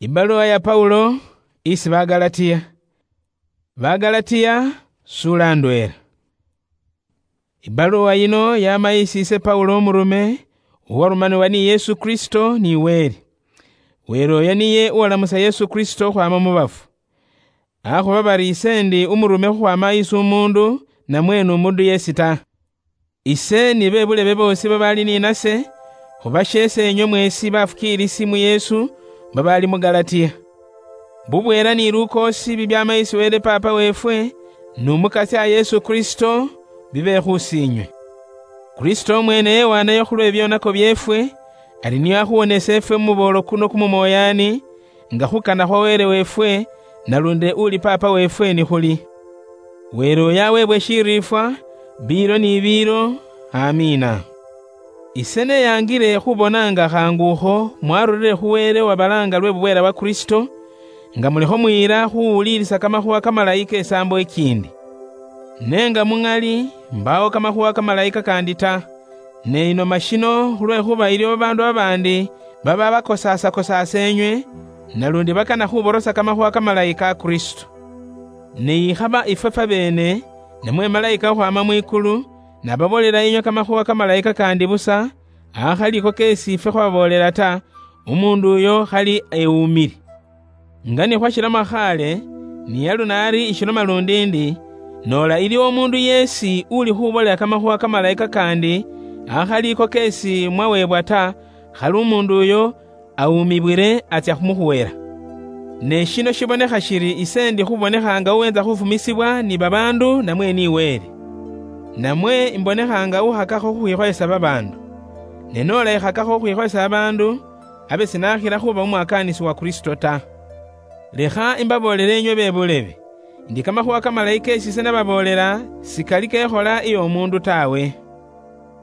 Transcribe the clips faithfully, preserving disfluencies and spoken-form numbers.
Ibaluwa ya Paulo isi Bagalatia. Bagalatia, sula ndwela. Ibaluwa yino yama isi ise Paulo umurume, uwarumanibwa ni Yesu Kristo ni Wele. Wele oyo niye uwalamusa Yesu Kristo khwama mu bafu. Akhuba bari ise ndi umurume khukhwama isi umundu, namwe ni umundu yesi ta. Ise ni bebulebe boosi babaali ni nase, khubasheese enywe mweesi bafukiilisi mu Yesu babaali mu Galatia. Bubweela ni lukoosi bibyaama isi Wele Paapa weefwe, ni Umukasya Yesu Kristo, bibe khusiinywe. Kristo omweene yewaanayo khulwe byonako byeefwe, ari nio akhuwonese efwe mu muboolo kuno kumumoyaani, nga khukana khwa Wele weefwe, nalundi uli Paapa weefwe nikhuli. Wele oyo aweebwe shiriifwa, biilo ni biilo. Amiina. Ise neyaangile khubona nga khaangu ukho mwarurire khu Wele wabalaanga lwe bubweela bwa Kristo, nga mulikho muyila khuwulilisa kamakhuwa kamalayi ke saambo ikiindi. Ne nga muŋali, mbaawo kamakhuwa kamalayi kakandi ta. Ne inooma shino khulwekhuba iliwo babaandu babaandi baba bakosaasa-kosaasa enywe, nalundi bakana khuborosa kamakhuwa kamalayi ka Kristo. Ne yikhaba ifwe fwabeene, namwe malayika khukhwaama mwikulu, nababoolela inywe kamakhuwa kamalayi kakandi busa, akhali iko keesi ifwe khwababoolela ta, umuundu uyo khali ewuumile. Nga ni khwashiloma khaale, ni yalu naari ishiloma lundi ndi, noola iliwo umuundu yeesi uli khuboolela kamakhuwa kamalayi kakandi, akhali iko keesi mwaweebwa ta, khali umuundu uyo awuumibwile atsya khumukhuwela. Ne shino shibonekha shiri ise ndi khubonekha nga uwenza khufumisibwa ni babaandu namwe ni Wele? Namwe imbonekha nga ukhakakho khukhwikhoyesa babaandu? Ne noola ikhakakho khukhwikhoyesa babaandu, abe sinakhila khuba umwakaanisi wa Kristo ta. Lekha imbaboolele inywe bebulebe, ndi kamakhuwa kamalayi keesi ise nababoolela sikali kekhola iy'omuundu tawe.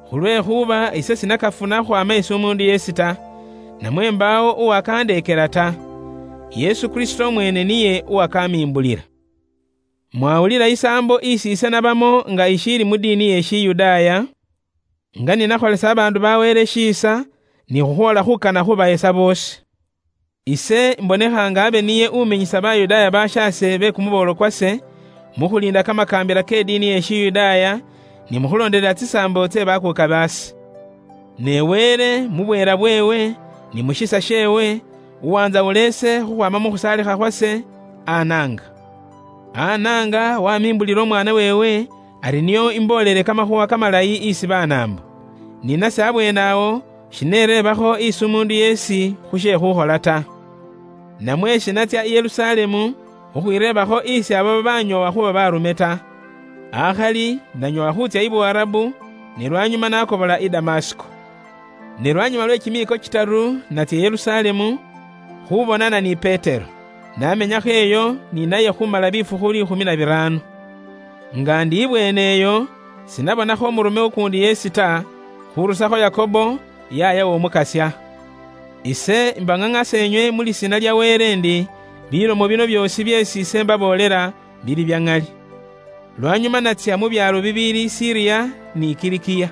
Khulwekhuba ise sinakafuna khwama isi umuundu yeesi ta, namwe mbaawo uwakandeekela ta. Yesu Kristo omweene niye uwakamimbulila. Mwawulila isaambo isi ise nabamo nga ishiili mu diini ye Shiyudaaya, nga ninakholesa abaandu ba Wele shiisa, ni khukhwoola khukana khubahesa boosi. Ise mbonekha nga abe niye uminyisa Bayudaaya bashaase be kumuboolo kwase, mu khuliinda kamakaambila ke diini ye Shiyudaaya, ni mu khulondelela tsisaambo tsye bakuuka baase. Ne Wele, mu bweela bweewe, ni mu shisa sheewe, uwanzawula ise khukhwaama mu khusaalikha khwase, anaanga. Anaanga wamimbulila Umwaana weewe, ari nio imboolele kamakhuwa kamalayi isi Banaambo. Ni nase abweene awo, shinereebakho isi umuundu yeesi khu she khukhola ta. Namwe shinatsya i Yerusalemu khukhwireebakho isi abo babanyoowa khuba baarume ta. Akhali nanyoowa khuutsya i Buwarabu, ne lwanyuma nakobola i Damasiko. Ne lwanyuma lwe kimiiko kitaru natsya i Yerusalemu, khubonana ni Petero. Namenyakho eyo ni naye khumala bifukhu liikhumi na biraano. Nga ndi ibweene eyo, sinabonakho umurume ukuundi yeesi ta, khurusakho Yakobo, yaaya w'Omukasya. Ise mbang'ang'asa enywe mu lisiina lya Wele ndi, bilomo bino byoosi byeesi ise mbaboolela, bili bya ŋali. Lwanyuma natsya mu byaalo bibiili Siriya ni Kilikiya.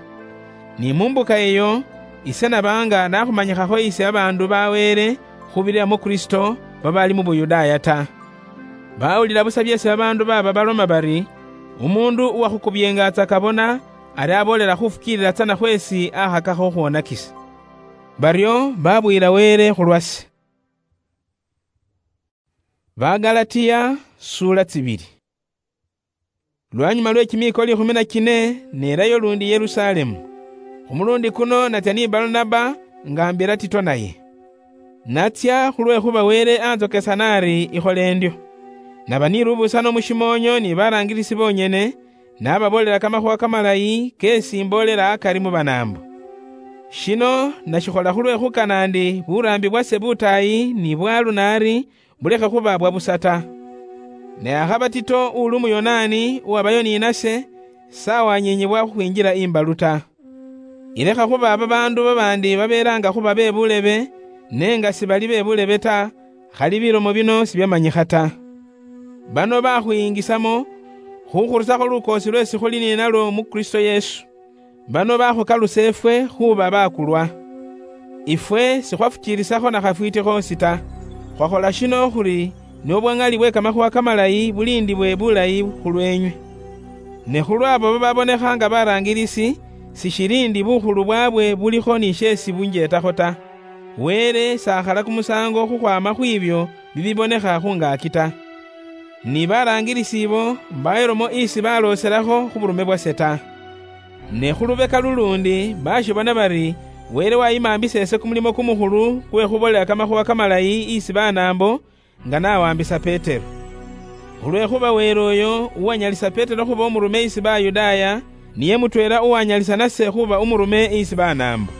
Ni mu mbuka eyo, ise naba nga nakhumanyikhakho isi babaandu ba Wele khubirira mu Kristo babaali mu Buyudaaya ta. Bawulila busa byeesi babaandu baaba baloma bari, umuundu uwakhukubyengatsaka bona ari aboolela khufukiilila tsana khweesi akhakakho khukhwonakisa. Baryo babuyila Wele khulwase. Bagalatia, suula tsibili. Lwanyuma lwe kimiiko liikhumi na kine, neerayo lundi Yerusalemu. Khu mulundi kuno natsya ni Barnaba, nga mbira Tito naye. Natsya khulwekhuba Wele anzokesa nari ikhole ndyo. Naba ni lubuusano mu shimoonyo ni baraangilisi bonyene, nababoolela kamakhuwa kamalayi keesi mboolela akari mu Banaambo. Shino nashikhola khulwe khukana ndi buraambi bwase butaayi ni bwalu nari bulekhe khuba bwa busa ta. Ne akhaba Tito uli Umuyonaani uwabayo ni nase, sawanyinyibwa khukhwinjila imbalu ta. Ilekha khuba babaandu babaandi babeelaanga khuba be bulebe, ne nga sibali be bulebe ta, khali bilomo bino sibyamanyikha ta. Bano bakhuyingisamo khukhurusakho lukoosi lweesi khuli ninalwo mu Kristo Yesu. Bano bakhukalusa efwe khuba bakulwa. Ifwe sikhwafukiirisakho na khafwiiti khoosi ta. Khwakhola shino khuli nobwang'ali bwe kamakhuwa kamalayi bulindibwe bulayi khulwenywe. Ne khulwabo bababonekha nga barangirisi, sishili ndi bukhulu bwabwe bulikho ni shesi bunjetakho ta. Wele sakhala kumusango khukhwama khwibyo bibibonekha khungaki ta. Ni barangirisi ibo mbayelomo isi balooselakho khuburume bwase ta. Ne khulubeka lulundi bashibona bari Wele wayimambisa ese kumulimo kumukhulu kwe khubolela kamakhuwa kamalayi isi Banaambo, nga nawambisa Petero. Khulwekhuba Wele oyo uwanyalisa Petero khuba umurume isi Bayudaaya, niye mutweela uwanyalisa nase khuba umurume isi Banaambo.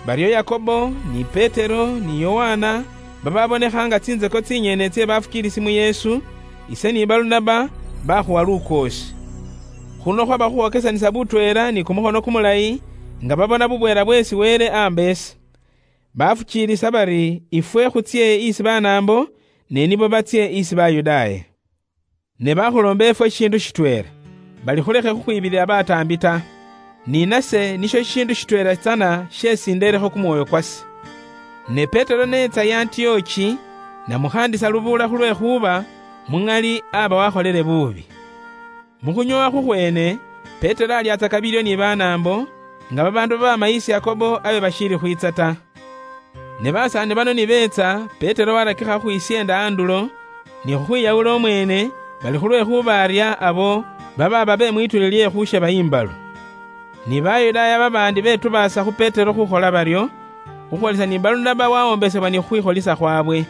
Baryo Yakobo, ni Petero, ni Yowana, bababonekha nga tsinzeko tsinyene tsie bafukiilisi mu Yesu, ise ni Balunaba bakhuwa lukoosi. Khuno khwaba khukhwokesanisa butweela ni kumukhono kumulayi, nga babona bubweela bweesi Wele amba ese. Bafukiilisa bari ifwe khutsie isi Banaambo, ne nibo batsie isi Bayudaaya. Ne bakhuloomba efwe shishiindu shitweela, bali khulekhe khukhwibilila bataambi ta. Ni nase nisho shishiindu shitweela tsana shesi ndeelekho kumwoyo kwase. Ne Petero neetsa i Antiochi, namukhaandisa lubuula khulwekhuba muŋali aba wakholele buubi. Mu khunyoowa khukhweene, Petero alyatsaka bilyo ni Banaambo, nga babaandu baba mayisi Yakobo abe bashiili khwiitsa ta. Ne basaani bano nibeetsa, Petero warakikha khukhwisyeenda andulo, ni khukhwiyawula omweene, bali khulwekhuba arya abo babaaba be mwituuli lye khusheba imbalu. Ni Bayudaaya babaandi betubaasa khu Petero khukhola baryo, khukhwolisa ni Balunaba wawombesebwa ni khukhwikholisa khwabwe.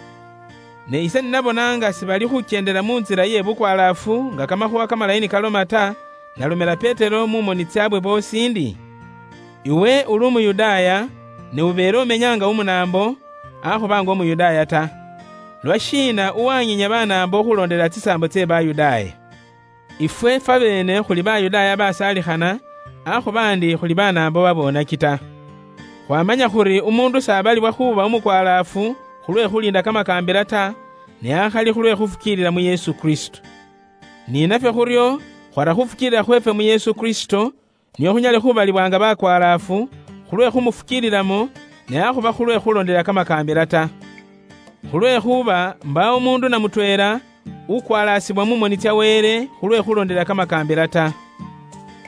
Ne ise ninabona nga sibali khukyendela mu ntsila iye bukwalaafu nga kamakhuwa kamalayi nikaloma ta, nalomela Petero mu moni tsyaabwe boosi ndi, "Iwe uli Umuyudaaya, ne ubeele umenya nga Umunaambo, akhuba nga Umuyudaaya ta. Lwashiina uwanyinya Banaambo khuloondela tsisaambo tsye Bayudaaya?" Ifwe fwabeene khuli Bayudaaya basaalikhana, akhuba ndi khuli Banaambo babonaki ta. Khwamanya khuri umuundu sabalibwa khuuba umukwalaafu khulwe khuliinda kamakaambila ta, ne akhali khulwe khufukiilila mu Yesu Kristo. Ni nafwe khuryo khwara khufukiilila khweefwe mu Yesu Kristo, nio khunyale khubalibwa nga bakwalaafu, khulwe khumufukiililamo, ne akhuba khulwe khulondela kamakaambila ta. Khulwekhuba mbaawo umuundu na mutweela ukwalaasibwa mu moni tsya Wele khulwe khulondela kamakaambila ta.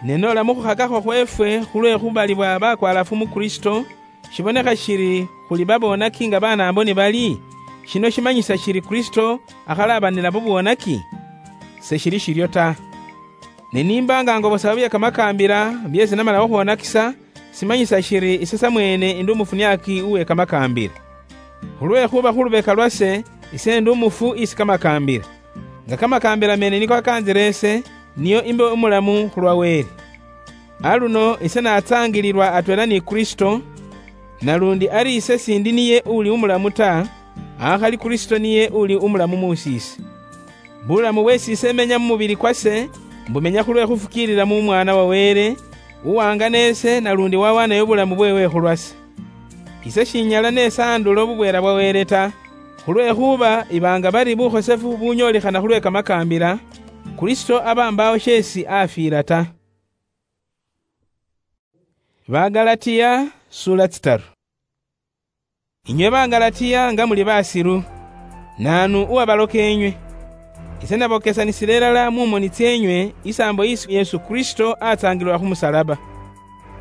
Ne noola mu khukhakakho khweefwe khulwe khubalibwa bakwalaafu mu Kristo, shibonekha shiri khuli babonaki nga Banaambo ni bali, shino shimanyisa shiri Kristo akhalabanila bubwonaki? Seshili shiryo ta. Ne nimba nga ngobosa bye kamakaambila byeesi namala khukhwonakisa, simanyisa shiri ise samweene indi umufuniaki uwe kamakaambila. Khulwekhuba khu lubeka lwase, ise ndi umufu isi kamakaambila, nga kamakaambila meene niko akaanzila ise, niyo imbe umulamu khulwa Wele. Aluno ise natsaangililwa atweela ni Kristo, nalundi ari ise sindi niye uli umulamu ta, akhali Kristo niye uli umulamu muusi ise. Bulamu bweesi ise menya mu mubili kwase, mbumenya khulwe khufukiilila mu Mwaana wa Wele, uwangana ise nalundi wawaanayo bulamu bweewe khulwase. Ise shinyala nesaandula ububweela bwa Wele ta, khulwekhuba iba nga bari bukhosefu bunyoolekhana khulwe kamakaambila, Kristo aba mbaawo sheesi afiila ta. Bagalatiya, sura tsitaru. Inywe Bagalatiya nga muli basilu, naanu uwabaloka enywe? Ise nabokesanisile ilala mu moni tseenywe isaambo isi Yesu Kristo atsaangilwa khu musalaba.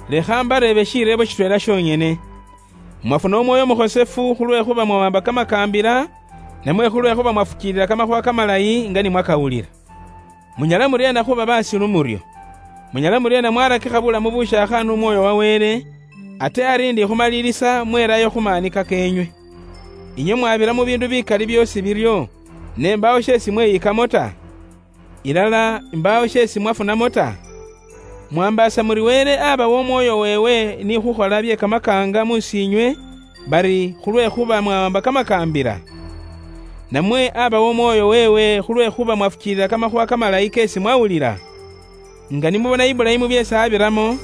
Lekha mbareebe shireebo shitweela shonyene. Mwafuna Umwoyo Umukhosefu khulwekhuba mwawamba kamakaambila, namwe khulwekhuba mwafukiilila kamakhuwa kamalayi nga ni mwakawulila? Munyala muryeena khuba basilu muryo? Munyala muryeena mwarakikha bulamu bushaakha nu Mwoyo wa Wele, ate ari ndi khumalilisa mwelayo khu maanika keenywe? Inywe mwabira mu biindu bikali byoosi biryo, ne mbaawo sheesi mweyikamo ta? Ilala mbaawo sheesi mwafunamo ta? Mwambaasa muri Wele abawa Umwoyo weewe ni khukhola bye kamakaanga mu siinywe, bari khulwekhuba mwawamba kamakaambila? Namwe abawa Umwoyo weewe khulwekhuba mwafukiilila kamakhuwa kamalayi keesi mwawulila? Nga nimubona Ibulayimu byeesi abiramo,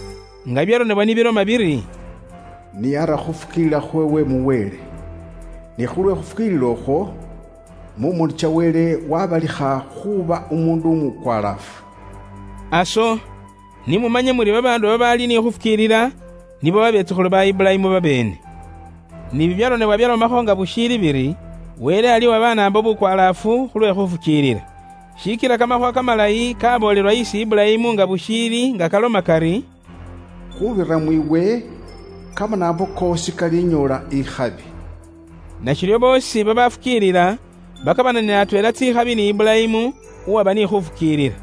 nga byaronebwa nibiloma biri, "Niyara khufukiilila khweewe mu Wele, ne khulwe khufukiilila okhwo, mu moni cha Wele wabalikha khuba umundu umukwalaafu." Aso, nimumanye muri babaandu babaali ni khufukiilila, nibo babetsukhulu ba Ibulayimu babeene. Ni bibyaronebwa byalomakho nga bushiili biri, Wele ali wabanaambo bukwalaafu khulwe khufukiilila. Shiikila kamakhuwa kamalayi kaboolelwa isi Ibulayimu nga bushiili nga kaloma kari, "Khubirira mwiwe, kamanaambo koosi kalinyoola ikhabi." Nashiryo boosi babafukiilila bakabananila atweela tsikhabi ni Ibulayimu, uwaba ni khufukiilila.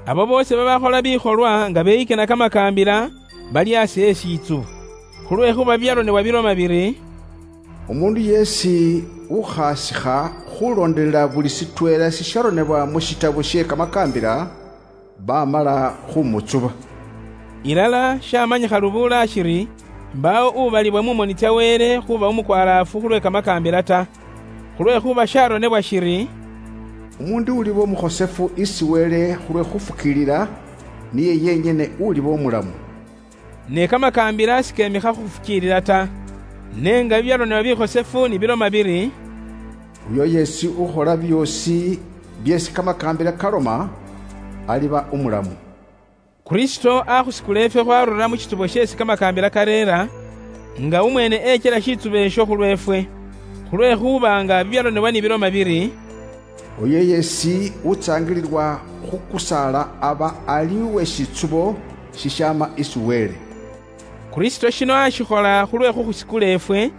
Abo boosi babakhola bikholwa nga beyikina kamakaambila, bali asi e shitsubo. Khulwekhuba byaronebwa biloma biri, "Umuundu yeesi ukhasikha khulondelela buli sitweela sisharonebwa mu shitabo she kamakaambila, bamala khumutsuba." Ilala shamanyikha lubula shiri, mbaawo ubalibwa mu moni tsya Wele khuba umukwalaafu khulwe kamakaambila ta. Khulwekhuba sharonebwa shiri, "Umuundu uliba umukhosefu isi Wele khulwe khufukiilila, niye yenyene uliba umulamu." Ne kamakaambila sikemikha khu khufukiilila ta. Ne nga bibyaronebwa bikhosefu ni biloma biri, "Uyo yeesi ukhola byoosi byeesi kamakaambila kaloma, aliba umulamu." Kristo akhusikula efwe khwarura mu shitsubo sheesi kamakaambila kareera, nga umweene echela shitsubo esho khulweefwe. Khulwekhuba nga bibyaronebwa ni biloma biri, "Oyo yeesi utsaangililwa khu kusaala aba ali uwe shitsubo shishaama isi Wele." Kristo shino ashikhola khulwe khukhusikula efwe,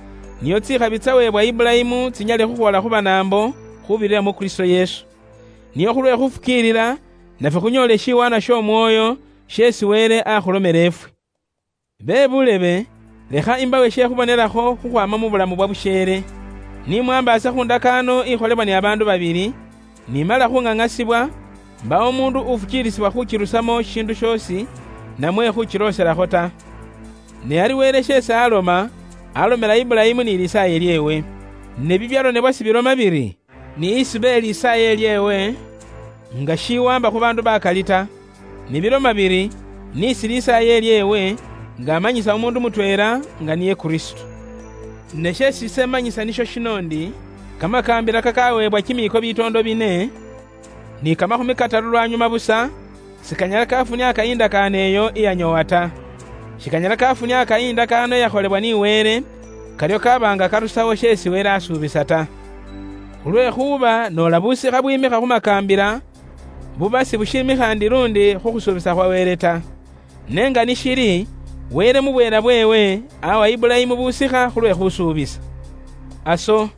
nio tsikhabi tsaweebwa Ibulayimu tsinyale khukhwola khu banaambo khubirira mu Kristo Yesu. Nio khulwe khufukiilila, nafwe khunyoole shiwaanwa sh'Omwoyo, sheesi Wele akhulomela efwe. Be bulebe, lekha imbawe she khubonelakho khukhwama mu bulamu bwa busheele. Ni mwambaasa khu ndakaano ikholebwa ni abaandu babili, ni mala khung'ang'asibwa, mbaawo umuundu ufukiilisibwa khukirusamo shishiindu shoosi, namwe khukilooselakho ta. Ne ari Wele sheesi aloma, alomela Ibulayimu ni lisaaye lyeewe. Ne bibyaronebwa sibiloma biri, "Ni isibe lisaaye lyeewe," nga shiwamba khu baandu bakali ta. Ni biloma biri, "Ni isi lisaaye lyeewe," nga amanyisa umuundu mutweela, nga niye Kristo. Ne sheesi ise manyisa nisho shino ndi, kamakaambila kakaweebwa kimiiko bitoondo bine, ni kamakhumi kataru lwanyuma busa, sikanyala kafuniaka indakaano eyo iyanyoowa ta. Shikanyala kafuniaka indakaano iyakholebwa ni Wele, karyo kaba nga karusawo sheesi Wele asuubisa ta. Khulwekhuba noola busikha bwimikha khu makaambila, buba sibushiimikha ndi lundi khu khusuubisa khwa Wele ta. Ne nga nishili, Wele mu bweela bweewe awa Ibulayimu busikha khulwe khusuubisa. Aso,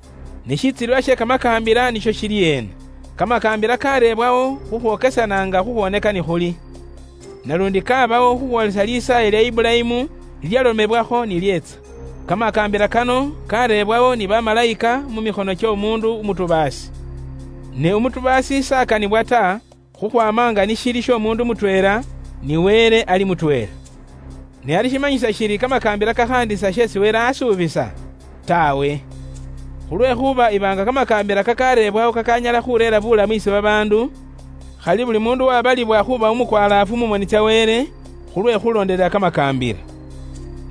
ne shitsililwa she kamakaambila nisho shili ena. Kamakaambila kareebwawo khukhwokesananga khukhwoneka ni khuli. Nalundi kabawo khukhwolesa lisaaye lya Ibulayimu lilyalomebwakho ni lyeetsa. Kamakaambila kano kareebwawo ni bamalayika mu mikhono ky'omuundu umutubaasi. Ne umutubaasi s'akanibwa ta, khukhwama nga ni shili sh'omuundu mutweela, ni Wele ali mutweela. Ne ali shimanyisa shiri kamakaambila kakhaandisa sheesi Wele asuubisa? Tawe. Khulwekhuba iba nga kamakaambila kakareebwawo kakanyala khureera bulamu isi babaandu, khali buli muundu wabalibwa khuba umukwalaafu mu moni tsya Wele, khulwe khulondelela kamakaambila.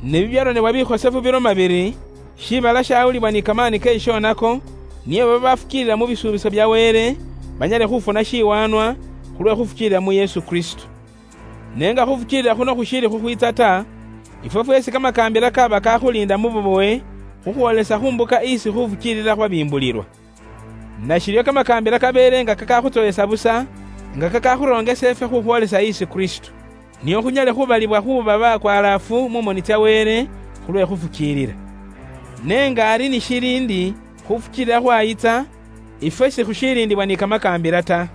Ne bibyaronebwa bikhosefu biloma biri, Shiibala shaawulibwa ni kamaani ke shishonako, niye baba bafukiilila mu bisuubiso bya Wele, banyale khufuna shiwaanwa khulwe khufukiilila mu Yesu Kristo. Ne nga khufukiilila khuno khushiili khukhwiitsa ta, ifwe fweesi kamakaambila kaba kakhuliinda mu bubowe, khukhwoolesa khu mbuka isi khufukiilila khwabimbulilwa. Nashiryo kamakaambila kabeele nga kakakhutsoyesa busa, nga kakakhuroongesa ifwe khukhwoolesa isi Kristo, nio khunyale khubalibwa khuuba bakwalaafu mu moni tsya Wele khulwe khufukiilila. Ne nga ari ni shili ndi khufukiilila khwayitsa, ifwe sikhushiilindibwa ni kamakaambila ta.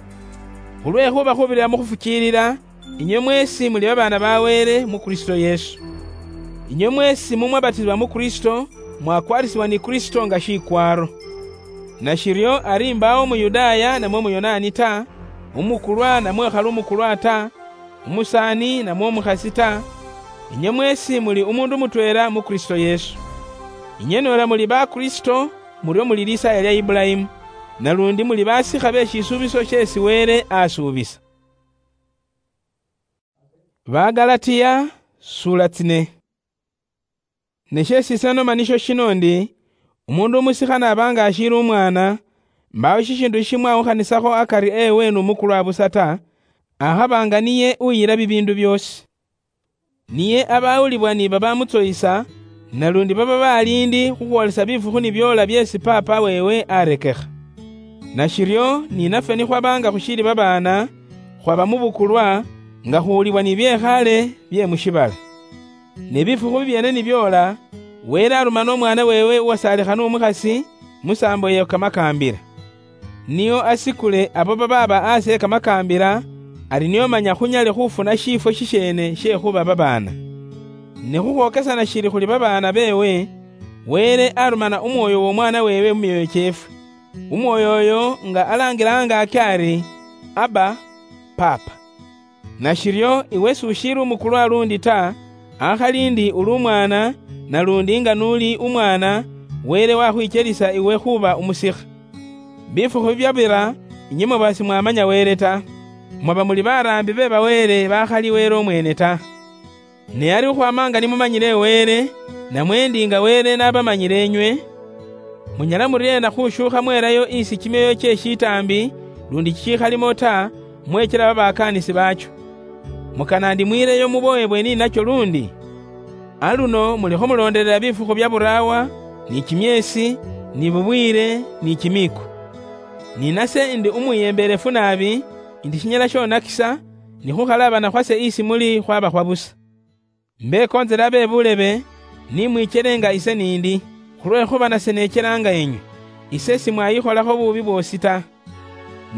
Khulwekhuba khubirira mu khufukiilila, inywe mweesi muli babaana ba Wele mu Kristo Yesu. Inywe mweesi mumwabatisibwa mu Kristo, mwakwarisibwa ni Kristo nga shikwaaro. Nashiryo ari mbaawo Muyudaaya namwe Muyonaani ta, umukulwa namwe khali umukulwa ta, umusaani namwe umukhasi ta, inywe mweesi muli umundu mutweela mu Kristo Yesu. Inywe noola muli ba Kristo, muryo muli lisaaya lya Ibulayimu, nalundi muli basikha be shisuubiso sheesi Wele asuubisa. Bagalatia, sula tsine. Ne sheesi ise noma nisho shino ndi, umundu umusikha n'aba nga ashiili umwaana, mbaawo shishiindu shishimwawukhanisakho akari ewe n'umukulwa busa ta, akhaba nga niye uyila bibiindu byoosi. Niye abawulibwa ni babamutsoyisa, Nalundi baba balindi khukhwolesa bifukhu nibyoola byeesi paapa weewe arekekha. Nashiryo, ninafwe nikhwabanga khushiili babaana, khwaba mu bukulwa, nga khuwulibwa ni byekhaale bye mu shiibala. Ne bifukhu bibyeene nibyoola, Wele arumana Umwaana weewe uwasaalikha nu mukhasi, mu saambo ya kamakaambila. Nio asikule abo babaaba aasi e kamakaambila, ari nio manya khunyale khufuna shiifwo shisheene she khuba babaana. Ne khukhwokesana shiri khuli babaana beewe, Wele arumana Umwoyo w'Omwaana weewe mu myoyo kyeefwe. Umwoyo oyo nga alaangila angaaki ari, "Abba, Paapa." Nashiryo iwe s'ushiili umukulwa lundi ta, akhali ndi uli umwaana, nalundi nga n'uli umwaana, Wele wakhwikyelisa iwe khuuba umusikha. Bifukhu bibyabira, inywe mwaba simwamanya Wele ta. Mwaba muli baraambi be ba Wele bakhali Wele umweene ta. Ne ari khukhwaama nga nimumanyile Wele, namwe ndi nga Wele nabamanyile inywe, munyala muryeena khushuukha mwelayo isi kimyoyo kye shitaambi lundi kikhalimo ta, mwechela babakaanisi baacho? Mukana ndi mwiileyo muboyebwe ni nacho lundi? Aluno mulikho muloondelela bifukhu bya buraawa, ni kimyeesi, ni bubwiile, ni kimiiko. Ni nase ndi umwiyembeelefu naabi, ndi shinyala shonakisa, ni khukhalaabana khwase isi muli khwaba khwa busa. Mbekoonzela abe bulebe, ni mwichele nga ise nindi, khulwekhuba nase nechela nga enywe. Ise simwayikholakho bubi bwoosi ta.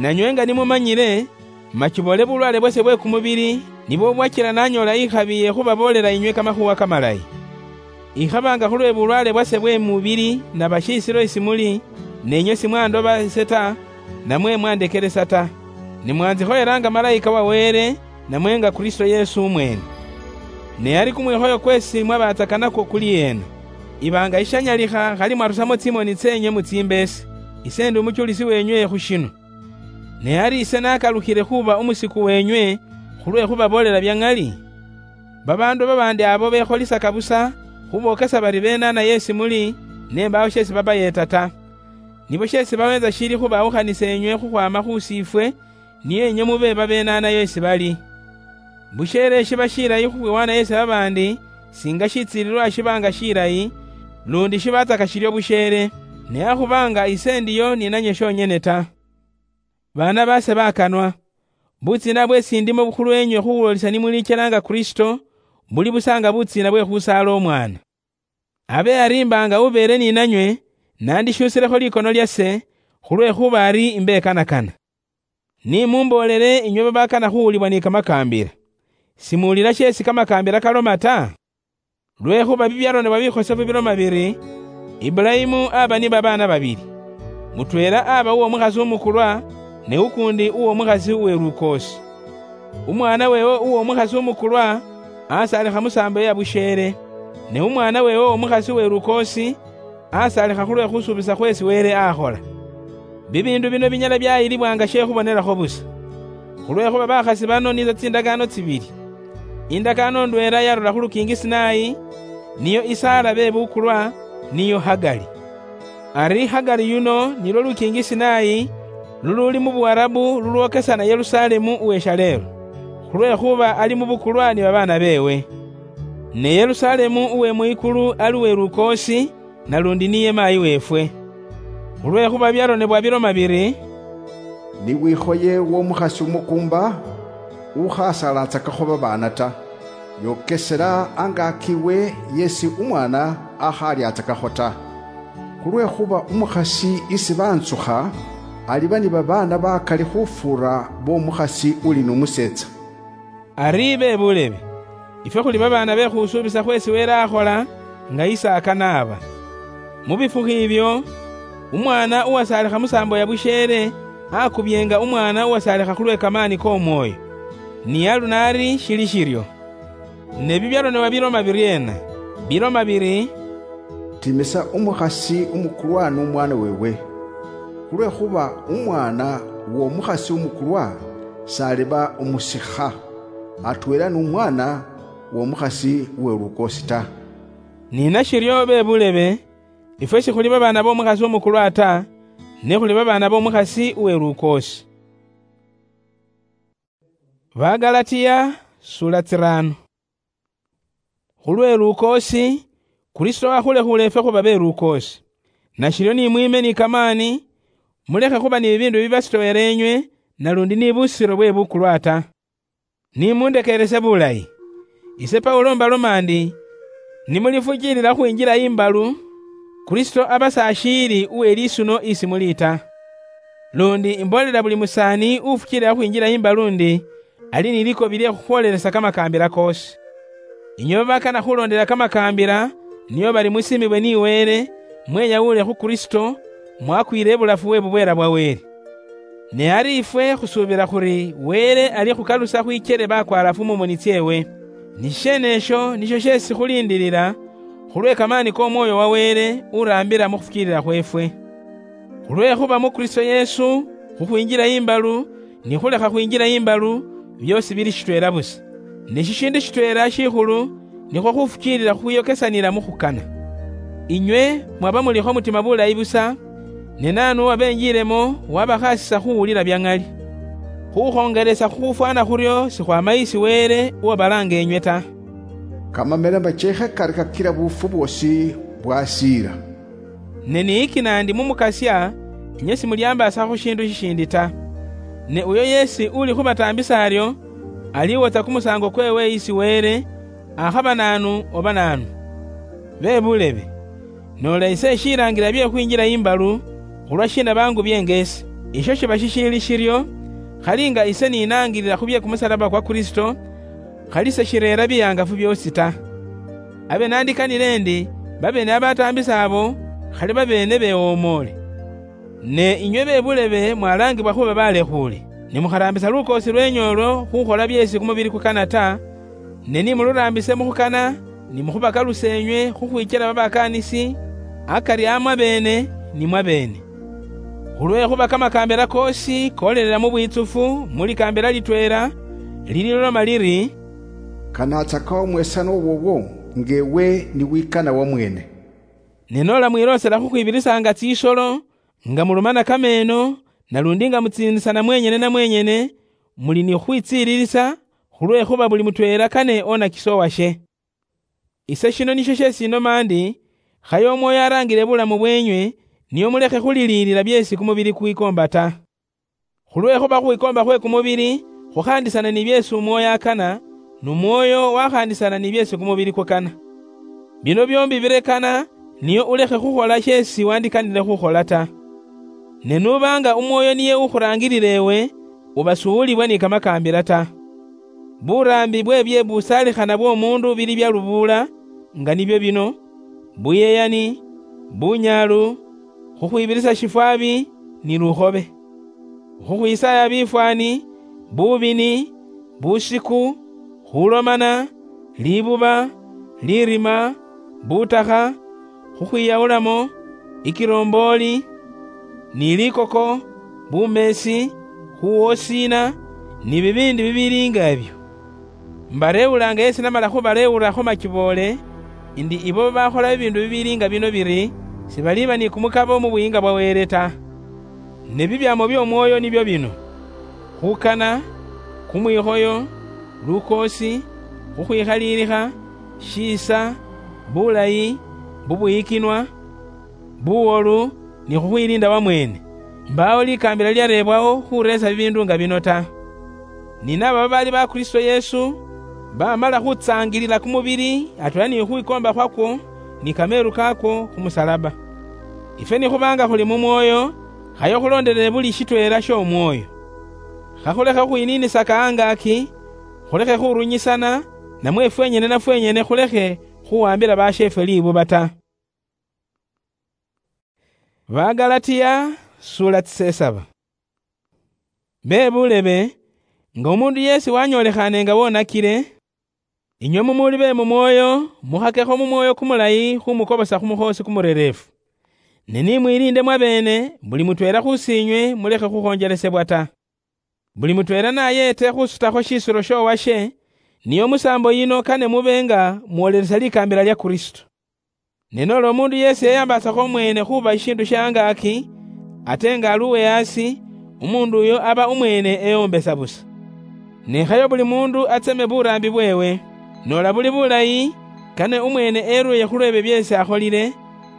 Nanywe nga nimumanyile, machibole bulwale bwase bwe kumubili, nibwo bwachila nanyoola ikhabi ye khubaboolela inywe kamakhuwa kamalayi. Ikhaba nga khulwe bulwale bwase bwe mubili naba shisilo isi muli, nenywe simwandoba ise ta, namwe mwandekelesa ta. Ne mwanzikhoyela nga malayika wa Wele, namwe nga Kristo Yesu umwene. Ne ari kumwikhoyo kwesi mwabatsaka nakwo kuli ena. Iba nga ishanyalikha khali mwarusamo tsimoni tsenywe mutsimbeese, ise ndi umuchulisi wenywe khu shino. Ne ari ise nakalukhile khuba umusiku wenywe khulwe khubaboolela bya ŋali? Babaandu babaandi abo bekholisaka busa khubokesa bari beenaana yeesi muli, ne mbaawo sheesi babayeeta ta. Nibo sheesi baweentsa shiili khubawukhanisa enywe khukhwaama khu siifwe, niyo enywe mube babeenaana yeesi bali. Busheele shiba shilayi khukhwiwaana yeesi babaandi, singa shitsiililwa shiba nga shilayi, lundi shibatsaka shiryo busheele, ne akhuba nga ise ndiyo ni nanywe shonyene ta. Baana baase bakanwa, butsiina bweesi ndimo khulweenywe khuwulolisa ni muliichela nga Kristo, buli busa nga butsiina bwe khusaala omwaana. Abe ari mba nga ubeele ni nanywe, nandishuusilekho likono lyase, khulwekhuba ari imbekanakana. Ni mumboolele inywe babakana khuwulibwa ni kamakaambila. Simuwulila sheesi kamakaambila kaloma ta? Lwekhuba bibyaronebwa bikhosefu biloma biri, Ibulayimu aba ni babaana babili. Mutweela aba uwomukhasi umukulwa, ne ukuundi uwomukhasi uwe lukoosi. Umwaana weewe uwomukhasi umukulwa asaalikha mu saambo ya busheele, ne umwaana weewe uwomukhasi uwe lukoosi asaalikha khulwe khusuubisa khweesi Wele akhola. Bibiindu bino binyala byayilibwa nga she khubonelakho busa. Khulwekhuba bakhasi bano nitso tsindakaano tsibili. Indakaano ndweela yarula khu lukiingi Sinai, niyo isaala bebukulwa, niyo Hagali. Ari Hagali yuno nilwo lukiingi Sinai, luluuli mu Buwarabu lulwokesana Yerusalemu uwe shaleelo, khulwekhuba ali mu bukulwa ni babaana beewe. Ne Yerusalemu uwe mwikulu ali uwe lukoosi, nalundi niye maayi weefwe. Khulwekhuba byaronebwa biloma biri, "Ni wikhoye w'omukhasi umukuumba, ukhasalatsakakho babaana ta, yokesela angaaki we yeesi umwaana akhalyatsakakho ta. Khulwekhuba umukhasi isi bantsukha, aliba ni babaana bakali khufuura b'omukhasi uli n'umuseetsa." Ari be bulebe, ifwe khuli babaana be khusuubisa khweesi Wele akhola, nga isaaka naaba. Mu bifukhu ibyo, umwaana uwasaalikha mu saambo ya busheele akubyeenga umwaana uwasaalikha khulwe kamaani k'Omwoyo. Ni aluno ari shili shiryo. Ne bibyaronebwa biloma biryeena? Biloma biri, "Timisa umukhasi umukulwa n'umwaana weewe, khulwekhuba umwaana w'omukhasi umukulwa s'aliba umusikha atweela n'umwaana w'omukhasi uwe lukoosi ta." Ni nashiryo be bulebe, ifwe shikhuli babaana b'omukhasi umukulwa ta, ne khuli babaana b'omukhasi uwe lukoosi. Bagalatiya, sula tsirano. Khulwe lukoosi, Kristo akhulekhuule efwe khuba beruukoosi. Nashiryo ni mwiime ni kamaani, mulekhe khuba ni bibiindu bibasitoweera enywe, nalundi ni busiro bwe bukulwa ta. Ni mundekeerese bulayi. Ise Paulo mbaloma ndi, ni mulifukiilila khwinjila imbalu, Kristo aba s'ashiili uwe lisuno isi muli ta. Lundi imboolela buli musaani ufukiilila khwinjila imbalu ndi, ali ni likobi lye khukhwoolelesa kamakaambila koosi. Inywe babakana khuloondela kamakaambila, nio bali musiimibwe ni Wele, mweyawule khu Kristo, mwakwiile ibulafu we bubweela bwa Wele. Ne ari ifwe khusuubila khuri Wele alikhukhalusa khwikyele bakwaalafu mu moni tsyeewe. Ni shisheenesho nisho sheesi khuliindilila, khulwe kamaani k'Omwooyo wa Wele uraambila mu khufukiilila khweefwe. Khulwekhuba mu Kristo Yesu, khukhwinjila imbalu, ni khulekha khwinjila imbalu, byoosi bili shitweela busa. Ne shishiindi shitweela shikhulu, nikhwo khufukiilila khukhwiyokesanila mu khukana. Inywe mwaba mulikho mutima bulayi busa, ne naanu uwabenjiilemo wabakhasisa khuwulila bya ŋali? Khukhongelesa khukhufwana khuryo sikhwama isi Wele uwabalaanga enywe ta. Kamamelema keekhe kali kakila buufu bwoosi bwasiila. Ne niyikina ndi mu Mukasya, inywe simulyambaasakho shindu shishiindi ta. Ne uyo yeesi uli khubataambisa aryo, aliwotsa kumusaango kweewe isi Wele, akhaba naanu oba naanu. Be bulebe, noola ise eshilaangilila bye khwinjila imbalu, khulwa shiina baangu byeenge ise? Isho shiba shishiili shiryo, khali nga ise ninaangilila khu bye kumusalaba kwa Kristo, khali seshireera bihangafu byoosi ta. Abe naandikanile endi, babeene abataambisa abo, khali babeene bewomoole. Ne inywe be bulebe mwalaangibwa khuba balekhuule, ne mukharaambisa lukoosi lweenyu olwo khukhola byeesi kumubili kukana ta, ne ni muluraambise mu khukana, ni mukhubakalusa enywe khukhwikyela babakaanisi, akari a mwabeene ni mwabeene. Khulwekhuba kamakaambila koosi koolelela mu bwitsufu mu likaambila litweela, lililoma liri, "Kanaatsa kawo mwesana owoowo, nga ewe ni wikana wamweene." Ne noola mwiloosela khukhwibirisaanga tsisolo, nga mulumana kameeno, nalundi nga mutsiinisana mwenyene na mwenyene, muli ni khukhwitsiililisa, khulwekhuba buli mutweela kane onakise owashe. Ise shino nisho sheesi inoma ndi, khaye Omwoyo araangile bulamu bweenywe, nio mulekhe khuliliilila byeesi kumubili kwikoomba ta. Khulwekhuba khukhwikoomba khwe kumubili khukhaandisana ni byeesi Omwoyo akana, nu Mwoyo wakhaandisana ni byeesi kumubili kukana. Bino byoombi birekana, nio ulekhe khukhola sheesi wandikanile khukhola ta. Ne nuba nga Umwoyo niye ukhuraangilila ewe, uba suwulibwa ni kamakaambila ta. Buraambi bwe bye busalikhana bw'omuundu bili bya lubuula, nga nibyo bino: buyeyani, bunyaalu, khukhwibirisa shifwabi, ni lukhobe. Khukhwisaaya bifwaani, bubini, busiku, khulomana, libuba, lirima, butakha, khukhwiyawulamo, ikirombooli, ni likoko, bumeesi, khuwosiina, ni bibiindi bibiili nga ebyo. Mbarewulaanga yesi namala khubarewurakho machiboole, indi ibo babakhola bibiindu bibiili nga bino biri, sibaliba ni kumukabo mu Buyiinga bwa Wele ta. Ne bibyaamo by'Omwoyo nibyo bino: khukana, kumwikhoyo, lukoosi, khukhwikhaliilikha, shiisa, bulayi, bubuyikinwa, buwolu, ni khukhwiliinda wamweene. Mbaawo likaambila lilyareebwawo khureesa bibiindu nga bino ta. Ni naaba babaali ba Kristo Yesu, bamala khutsaangilila kumubili atweela ni khukhwikoomba khwakwo, ni kameelu kaakwo khu musalaba. Ifwe nikhuba nga khuli mu Mwoyo, khaye khuloondelele buli shitweela sh'Omwoyo. Khakhulekhe khukhwiniinisaka angaaki, khulekhe khurunyisana, namwe fwenyene na fwenyene khulekhe khuwambila basheefwe libuba ta. Bagalatia, sula tsisesaba. Be bulebe, nga omundu yeesi wanyolekhaane nga wonakile, inywe mumuli be mu mwoyo, mukhakekho mu mwoyo kumulayi khumukobosa khu mukhoosi kumurereefu. Ne ni mwiliinde mwabeene, buli mutweela khusiinywe mulekhe khukhonjelesebwa ta. Buli mutweela nayeete khusutakho shisiro sh'owashe, niyo musaambo yino kane mube nga mwolelesa likaambila lya Kristo. Ne noola omuundu yeesi yeyambaasakho omweene khuuba shishiindu sha angaaki, ate nga ali uwe aasi, umuundu uyo aba umweene eyombesa busa. Ne khayo buli muundu atseme buraambi bweewe, noola buli bulayi, Kane umwene erweye khulwebe byesi akholile,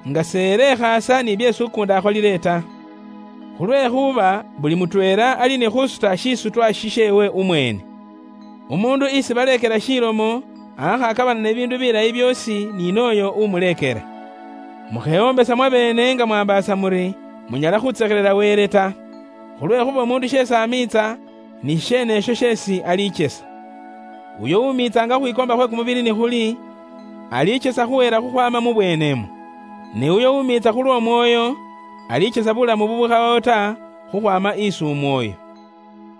nga seerekhaasa ni byesi ukuundi akholile ta. Khulwekhuba buli mutweela ali ni khusuta shisutwa shisheewe umwene. Umuundu isi baleekela shilomo, akhakabana ne biindu bilayi byoosi ni nooyo umuleekela. Mukhewombesa mwabeene nga mwambaasa muri munyala khutsekhelela Wele ta. Khulwekhuba umuundu sheesi amiitsa, ni sheene esho sheesi alichesa. Uyo umiitsanga khukhwikoomba khwe kumubili ni khuli, alichesa khuhela khukhwaama mu bweenemwo. Ne uyo umiitsa khulw'Omwoyo, alichesa bulamu bubukhabawo ta khukhwaama isi Umwoyo.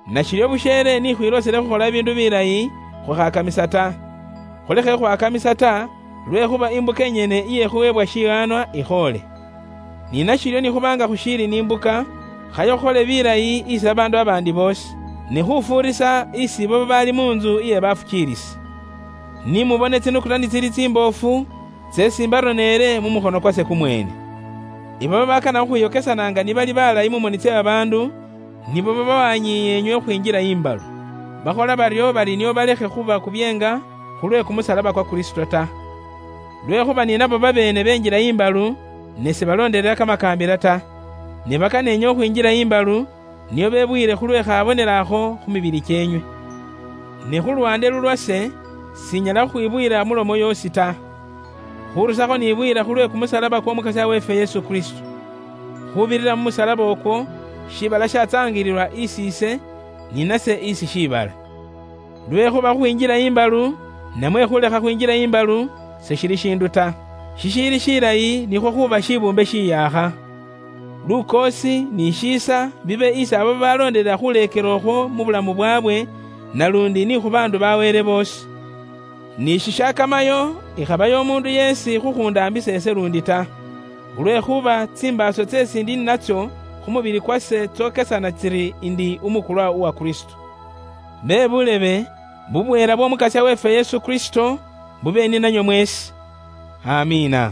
Nashiryo busheele ni khwiloosele khukhola biindu bilayi, khukhakamisa ta. Khulekhe khwakamisa ta, lwekhuba imbuka inyene iye khuweebwa shihanwa ikhoole. Ni nashiryo ni khuba nga khushiili ni imbuka, khayo khukhole bilayi isi babaandu babaandi boosi, ni khufuurisa isi ibo babaali mu ntsu iye bafukiilisi. Ni mubone tsinukula ni tsili tsimboofu, tseesi mbaroneele mu mukhono kwase kumweene. Ibo babakana khukhwiyokesanaanga ni bali balayi mu moni tsye babaandu, nibo baba banyiiya inywe khwinjila imbalu. Bakhola baryo bali nio balekhe khuba kubyeenga khulwe kumusalaba kwa Kristo ta. Lwekhuba ni nabo babeene benjila imbalu, ne sibaloondelela kamakaambila ta. Ne bakana inywe khwinjila imbalu, nio bebuyile khulwe khabonela akho khu mibili kyenywe. Ne khu lwande lulwase, sinyala khukhwibuyila mulomo yoosi ta. Khurusakho nibuyila khulwe kumusalaba kw'Omukasya weefwe Yesu Kristo. Khubirira mu musalaba okwo, shiibala shatsaangililwa isi ise, ni nase isi shiibala. Lwekhuba khukhwinjila imbalu, namwe khulekha khwinjila imbalu, seshili shindu ta. Shishiili shilayi nikhwo khuba shibuumbe shiyaakha. Lukoosi ni shiisa bibe isi abo babaloondelela khuleekela okhwo mu bulamu bwaabwe, nalundi ni khu baandu ba Wele boosi. Ni shishakamayo ikhabayo omuundu yeesi khukhundaambisa ese lundi ta, khulwekhuba tsimbaaso tseesi ndi ninatsio khu mubili kwase tsookesana tsiri ndi umukulwa uwa Kristo. Be bulebe, bubweela bw'Omukasya weefwe Yesu Kristo bube ninanywe mweesi. Amiina.